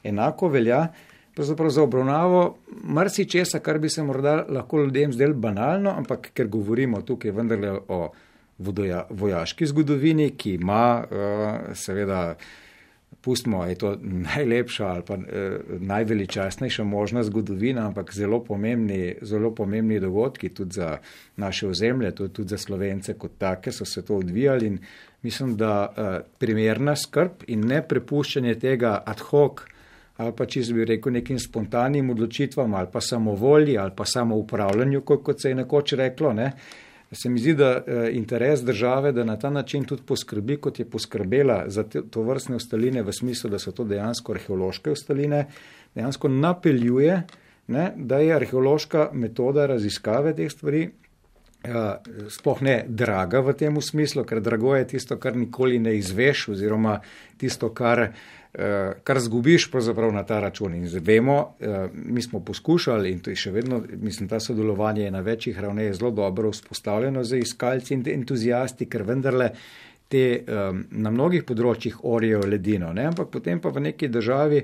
enako velja pravzaprav za obravnavo marsičesa, kar bi se morda lahko ljudem zdelo banalno, ampak ker govorimo tukaj vendarle o vodoja, vojaški zgodovini, ki ima uh, seveda pustimo, je to najlepša ali pa eh, najveličastnejša možna zgodovina, ampak zelo pomembni, zelo pomembni dogodki tudi za naše ozemlje, tudi za Slovence kot take so se to odvijali in mislim, da eh, primerna skrb in ne prepuščanje tega ad hoc ali pa čisto bi rekel nekim spontanim odločitvam ali pa samovolji ali pa samoupravljanju, kot se je nekoč reklo, ne. Se mi zdi, da eh, interes države, da na ta način tudi poskrbi, kot je poskrbela za te, to vrstne ostaline v smislu, da so to dejansko arheološke ostaline, dejansko napeljuje, ne, da je arheološka metoda raziskave teh stvari eh, sploh ne draga v tem smislu, ker drago je tisto, kar nikoli ne izveš oziroma tisto, kar kar zgubiš pravzaprav na ta račun. In vemo, mi smo poskušali in to je še vedno, mislim, ta sodelovanje je na večjih ravneh zelo dobro vzpostavljeno za iskalci in entuzijasti, ker vendarle te na mnogih področjih orijo ledino, ne? Ampak potem pa v neki državi,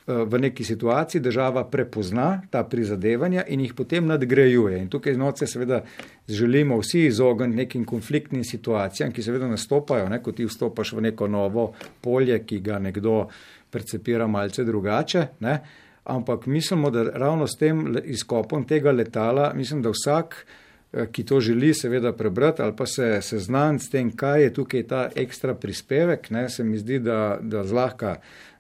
v neki situaciji država prepozna ta prizadevanja in jih potem nadgrajuje. In tukaj znotraj seveda želimo vsi izogniti nekim konfliktnim situacijam, ki seveda nastopajo, ne, ko ti vstopaš v neko novo polje, ki ga nekdo percepira malce drugače, ne. Ampak mislimo, da ravno s tem izkopom tega letala, mislim, da vsak, ki to želi seveda prebrati ali pa se seznaniti s tem, kaj je tukaj ta ekstra prispevek, ne, se mi zdi, da, da zlahka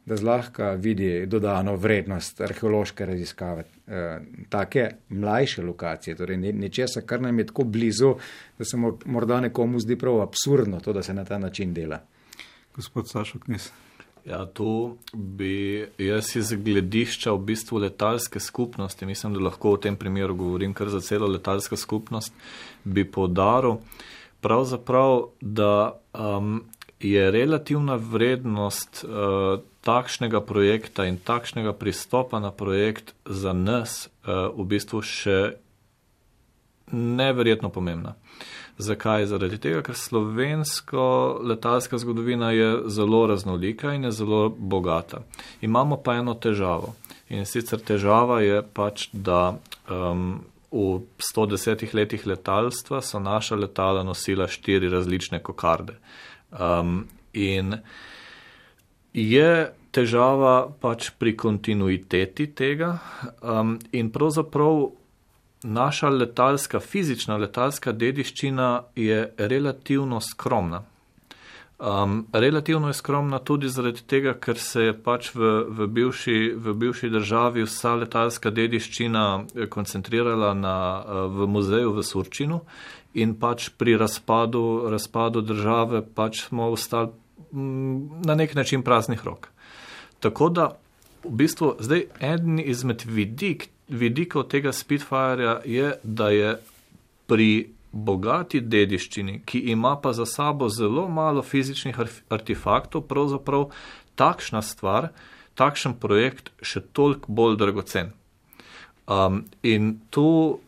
da zlahka vidi dodano vrednost arheološke raziskave, eh, take mlajše lokacije, torej nečesa, kar nam je tako blizu, da se morda nekomu zdi prav absurdno to, da se na ta način dela. Gospod Sašo Knez. Ja, tu bi jaz iz gledišča v bistvu letalske skupnosti, mislim, da lahko v tem primeru govorim kar za celo letalsko skupnost, bi poudaril pravzaprav, da um, je relativna vrednost uh, takšnega projekta in takšnega pristopa na projekt za nas uh, v bistvu še neverjetno pomembna. Zakaj? Zaradi tega, ker slovensko letalska zgodovina je zelo raznolika in je zelo bogata. Imamo pa eno težavo. In sicer težava je pač, da um, v sto desetih letih letalstva so naša letala nosila štiri različne kokarde. Um, in je težava pač pri kontinuiteti tega um, in pravzaprav naša letalska, fizična letalska dediščina je relativno skromna. Um, relativno je skromna tudi zaradi tega, ker se je pač v, v, bivši, v bivši državi vsa letalska dediščina koncentrirala na, v muzeju v Surčinu in pač pri razpadu, razpadu države pač smo ostali na nek način praznih rok. Tako da v bistvu zdaj eden izmed vidik, vidikov tega Spitfireja je, da je pri bogati dediščini, ki ima pa za sabo zelo malo fizičnih artefaktov, pravzaprav takšna stvar, takšen projekt še toliko bolj dragocen. Um, in tu,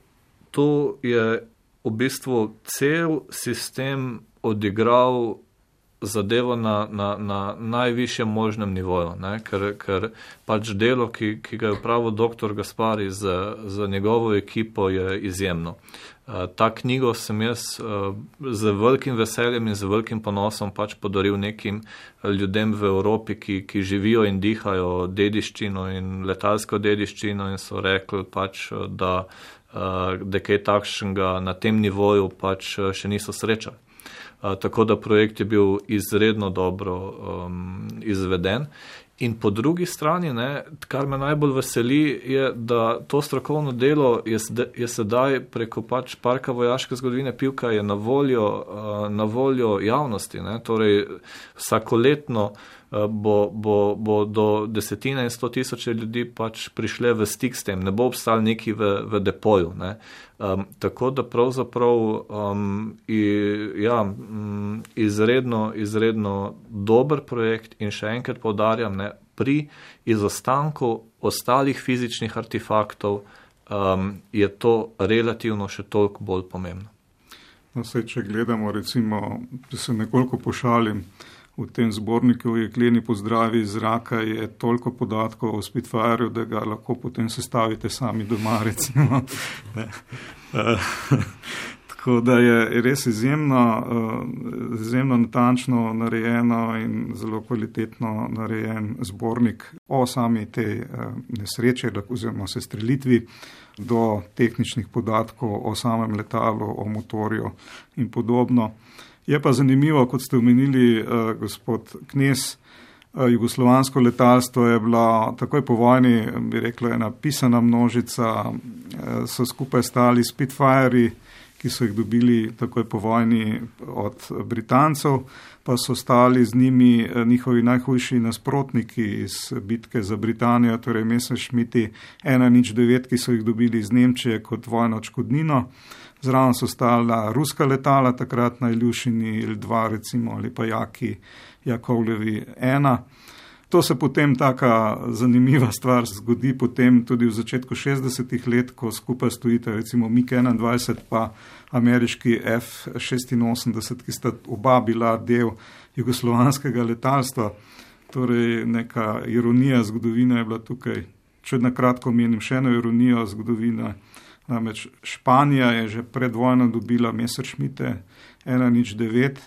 tu je v bistvu cel sistem odigral zadevo na, na, na najvišjem možnem nivoju, ne? Ker, ker pač delo, ki, ki ga je upravil doktor Gaspari z, z njegovo ekipo, je izjemno. Uh, ta knjigo sem jaz uh, z velikim veseljem in z velikim ponosom pač podaril nekim ljudem v Evropi, ki, ki živijo in dihajo dediščino in letalsko dediščino in so rekli pač, da, uh, da kaj takšnega na tem nivoju pač še niso srečali. Uh, tako da projekt je bil izredno dobro um, izveden. In po drugi strani, ne, kar me najbolj veseli, je, da to strokovno delo je, je sedaj preko pač Parka vojaške zgodovine Pivka je na voljo, uh, na voljo javnosti. Ne. Torej, vsakoletno uh, bo, bo, bo do desetine in sto tisoče ljudi pač prišle v stik s tem, ne bo obstal neki v, v depoju. Ne. Um, tako da pravzaprav um, i, ja, um, izredno, izredno dober projekt in še enkrat poudarjam, ne, pri izostanku ostalih fizičnih artefaktov um, je to relativno še toliko bolj pomembno. No, saj, če gledamo, recimo, da se nekoliko pošalim, v tem zborniku v Jekleni pozdravi iz zraka je toliko podatkov o Spitfireju, da ga lahko potem sestavite sami doma, recimo. Tako da je res izjemno, izjemno natančno narejeno in zelo kvalitetno narejen zbornik o sami tej nesreči oziroma sestrelitvi do tehničnih podatkov o samem letalu, o motorju in podobno. Je pa zanimivo, kot ste omenili, gospod Knez, jugoslovansko letalstvo je bila takoj po vojni, bi rekla, ena pisana množica, so skupaj stali Spitfirei, ki so jih dobili takoj po vojni od Britancev, pa so stali z njimi njihovi najhujši nasprotniki iz bitke za Britanijo, torej Messerschmitti ena nič devet, ki so jih dobili iz Nemčije kot vojno odškodnino. Zraven so stala ruska letala, takrat na Iljušini il dva recimo, ali pa Jaki Jakovljevi ena. To se potem taka zanimiva stvar zgodi potem tudi v začetku šestdesetih let, ko skupaj stojite recimo mig enaindvajset pa ameriški F šestinosemdeset, ki sta oba bila del jugoslovanskega letalstva. Torej neka ironija zgodovine je bila tukaj. Če na kratko menim še eno ironijo zgodovine, namreč Španija je že pred vojno dobila Messerschmitte ena nič devet,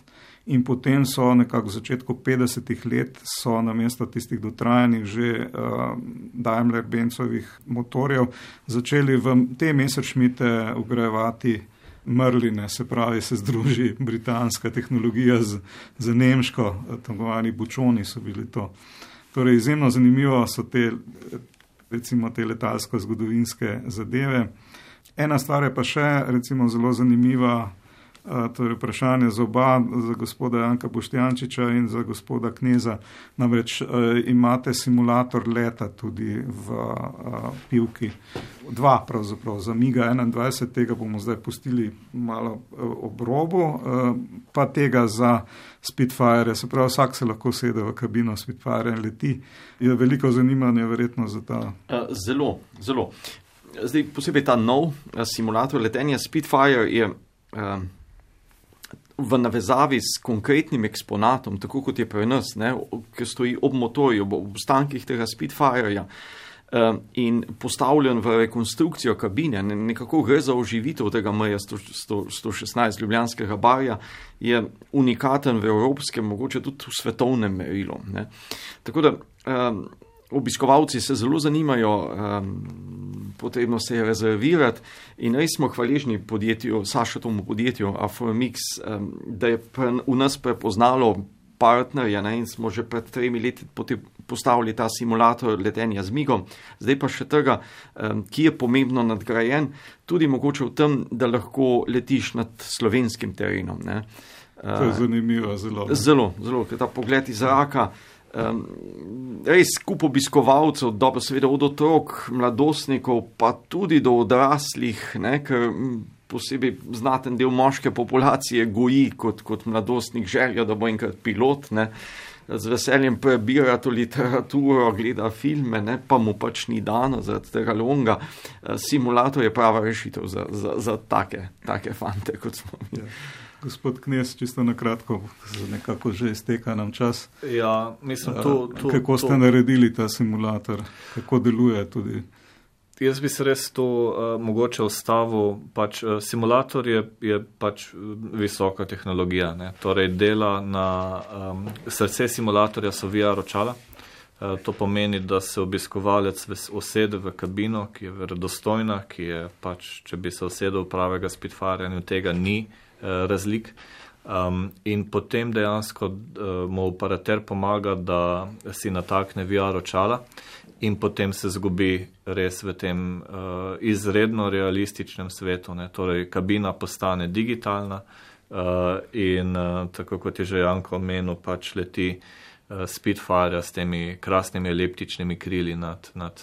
in potem so nekako v začetku petdesetih let so namesto tistih dotrajanih že uh, Daimler-Benzovih motorjev začeli v te Messerschmitte vgrajevati Merline, se pravi, se združi britanska tehnologija z, z nemško, takovani bučoni so bili to. Torej, izjemno zanimivo so te, recimo, te letalsko-zgodovinske zadeve. Ena stvar je pa še, recimo, zelo zanimiva, torej vprašanje za oba, za gospoda Janka Boštjančiča in za gospoda Kneza. Namreč imate simulator leta tudi v Pivki. Dva pravzaprav, za miga enaindvajset, tega bomo zdaj pustili malo ob robu, pa tega za Spitfire, se pravi, vsak se lahko sede v kabino Spitfire in leti. Je veliko zanimanja verjetno za ta. Zelo, zelo. Zdaj posebej ta nov simulator letenja Spitfire je v navezavi s konkretnim eksponatom, tako kot je pri nas, ne, ki stoji ob motorju, ob ostankih tega Spitfireja in postavljen v rekonstrukcijo kabine, nekako gre za oživitev tega M J sto šestnajst ljubljanskega barja, je unikaten v evropskem, mogoče tudi v svetovnem merilu. Ne. Tako da um, obiskovalci se zelo zanimajo, um, potrebno se je rezervirati in res smo hvaležni podjetju, Sašetomu podjetju Aformix, um, da je pre, v nas prepoznalo partnerja, ne, in smo že pred tremi leti postavili ta simulator letenja z migom, zdaj pa še tega, um, ki je pomembno nadgrajen, tudi mogoče v tem, da lahko letiš nad slovenskim terenom. Ne. Uh, to je zanimivo, zelo. Zelo, zelo, ker ta pogled iz zraka, Um, res kup obiskovalcev, dobro seveda od otrok, mladostnikov, pa tudi do odraslih, ne, ker posebej znaten del moške populacije goji kot, kot mladostnik željo, da bo enkrat pilot, ne, z veseljem prebira to literaturo, gleda filme, ne, pa mu pač ni dano zaradi tega longa. Simulator je prava rešitev za, za, za take, take fante, kot smo mi. Ja. Gospod Knez, čisto na kratko, nekako že izteka nam čas. Ja, mislim, to, to, kako ste to... naredili ta simulator, kako deluje tudi? Jaz bi se res to uh, mogoče ustavil, pač uh, simulator je, je pač visoka tehnologija, ne? Torej dela na um, srce simulatorja so V R očala. Uh, to pomeni, da se obiskovalec usede v kabino, ki je verodostojna, ki je pač, če bi se usedel pravega Spitfirja, in tega ni razlik. Um, in potem dejansko uh, mu operater pomaga, da si natakne V R očala in potem se zgubi res v tem uh, izredno realističnem svetu. Ne? Torej, kabina postane digitalna uh, in uh, tako kot je že Janko omenil, pač leti uh, Spitfire s temi krasnimi eliptičnimi krili nad, nad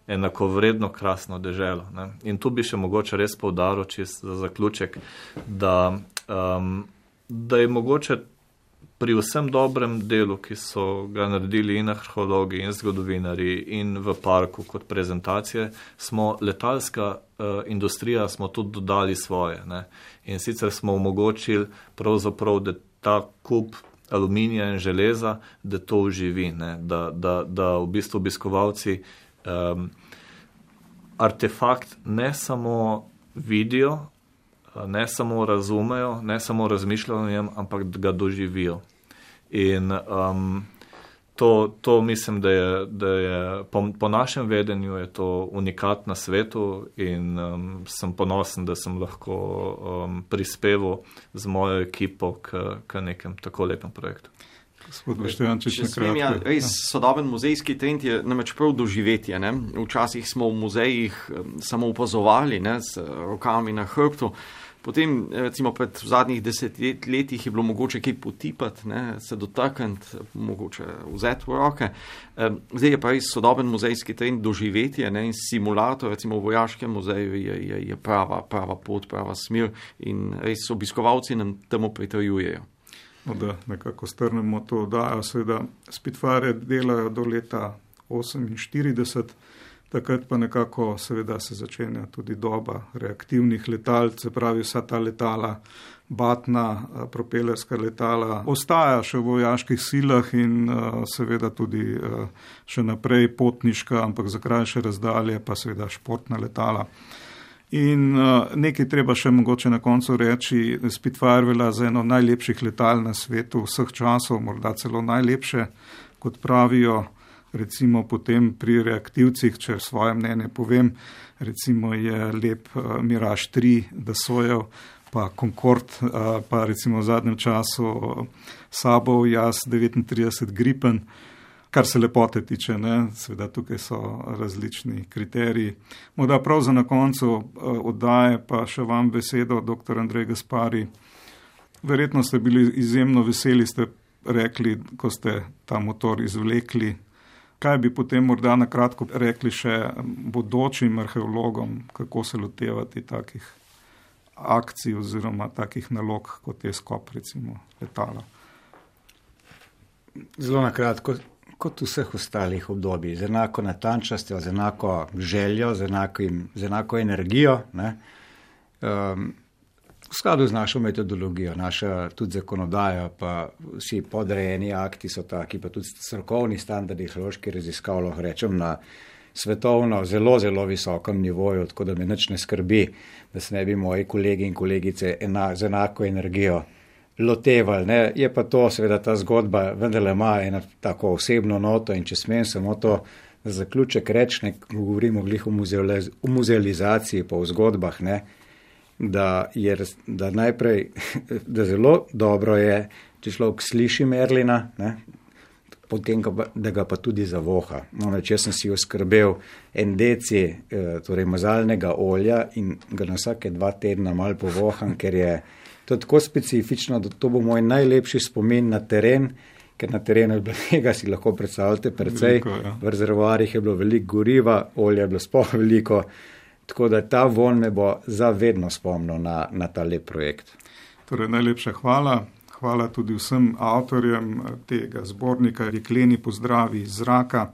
enakovredno krasno deželo. Ne? In tu bi še mogoče res poudaril, čist za zaključek, da, um, da je mogoče pri vsem dobrem delu, ki so ga naredili in arheologi in zgodovinari in v parku kot prezentacije, smo letalska uh, industrija, smo tudi dodali svoje. Ne? In sicer smo omogočili pravzaprav, da ta kup aluminija in železa, da to uživi, ne? Da, da, da v bistvu obiskovalci Um, artefakt ne samo vidijo, ne samo razumejo, ne samo razmišljajo o njem, ampak da ga doživijo. In um, to, to mislim, da je, da je po, po našem vedenju je to unikat na svetu in um, sem ponosen, da sem lahko um, prispeval z mojo ekipo k, k nekem tako lepem projektu. Če smem, ja, res sodoben muzejski trend je namreč prav doživetje. Ne? Včasih smo v muzejih samo opazovali, ne, s rokami na hrbtu. Potem, recimo pred zadnjih desetletjih je bilo mogoče kaj potipati, ne, se dotakniti, mogoče vzeti v roke. Zdaj je pa res sodoben muzejski trend doživetje, ne, in simulator, recimo v vojaškem muzeju je, je, je prava, prava pot, prava smer in res obiskovalci nam temu pritrjujejo. No, da nekako strnemo to oddajo, seveda Spitfire delajo do leta oseminštirideset, takrat pa nekako seveda se začenja tudi doba reaktivnih letal, se pravi vsa ta letala, batna, propelerska letala, ostaja še v vojaških silah in seveda tudi še naprej potniška, ampak za krajše razdalje pa seveda športna letala. In uh, nekaj treba še mogoče na koncu reči, Spitfire velja za eno najlepših letal na svetu vseh časov, morda celo najlepše, kot pravijo, recimo potem pri reaktivcih, če svoje mnenje povem, recimo je lep uh, Mirage tri Dassaultov, pa Concorde, uh, pa recimo v zadnjem času uh, Sabov Jas devetintrideset Gripen, kar se lepote tiče, ne, seveda tukaj so različni kriteriji. Morda prav za na koncu oddaje pa še vam besedo, doktor Andrej Gaspari. Verjetno ste bili izjemno veseli, ste rekli, ko ste ta motor izvlekli. Kaj bi potem morda na kratko rekli še bodočim arheologom, kako se lotevati takih akcij oziroma takih nalog, kot je skop recimo letala? Zelo na kratko. Kot vseh ostalih obdobij, z enako natančnostjo, z enako željo, z, enakim, z enako energijo, ne, um, v skladu z našo metodologijo, naša tudi zakonodaja, pa vsi podrejeni akti so taki, pa tudi strokovni standardi arheoloških raziskav, lahko rečem, na svetovno zelo, zelo visokem nivoju, tako da me nič ne skrbi, da se ne bi moji kolegi in kolegice ena, z enako energijo lotevali, ne. Je pa to, seveda ta zgodba vendarle ima eno tako osebno noto in če smem samo to za zaključek reči, ne, govorimo glih o, muzealiz o muzealizaciji pa o zgodbah, ne, da je da najprej, da zelo dobro je, če človek sliši Merlina, ne, potem, da ga pa tudi zavoha. No, če sem si oskrbel en deci, eh, torej mazalnega olja in ga na vsake dva tedna malo povoham, ker je to je tako specifično, da to bo moj najlepši spomin na teren, ker na terenu je bilo tega, si lahko predstavljate, precej, veliko, ja. V rezervoarjih je bilo veliko goriva, olja je bilo sploh veliko, tako da ta von me bo zavedno spomnil na, na ta lep projekt. Torej, najlepša hvala. Hvala tudi vsem avtorjem tega zbornika Jekleni pozdravi iz zraka,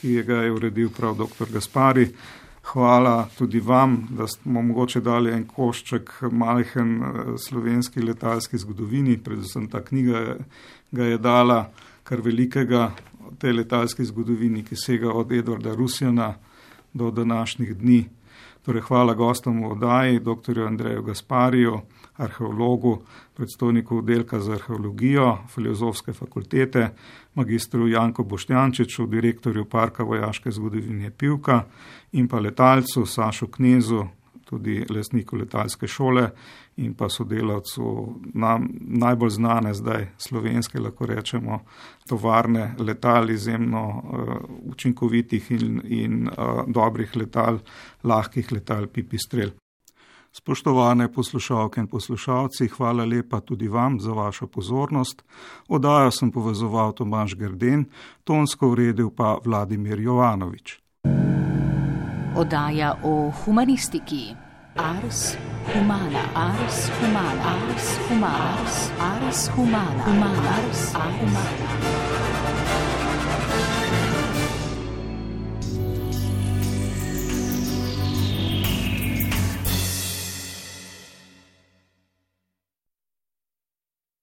ki ga je uredil prav doktor Gaspari. Hvala tudi vam, da smo mogoče dali en košček majhen slovenski letalski zgodovini, predvsem ta knjiga ga je dala kar velikega tej letalski zgodovini, ki sega od Edvarda Rusjana do današnjih dni. Torej, hvala gostom v oddaji, doktorju Andreju Gaspariju, arheologu, predstojniku oddelka za arheologijo Filozofske fakultete, magistru Janku Boštjančiču, direktorju Parka vojaške zgodovine Pivka in pa letalcu Sašu Knezu, tudi lastniku letalske šole in pa sodelavcu nam najbolj znane zdaj slovenske, lahko rečemo, tovarne letal, izjemno uh, učinkovitih in, in uh, dobrih letal, lahkih letal Pipistrel. Spoštovane poslušalke in poslušalci, hvala lepa tudi vam za vašo pozornost. Oddajo sem povezoval Tomaž Grden, tonsko uredil pa Vladimir Jovanovič. Oddaja o humanistiki. Ars humana, ars humana, ars humana, ars humana, humana, ars humana.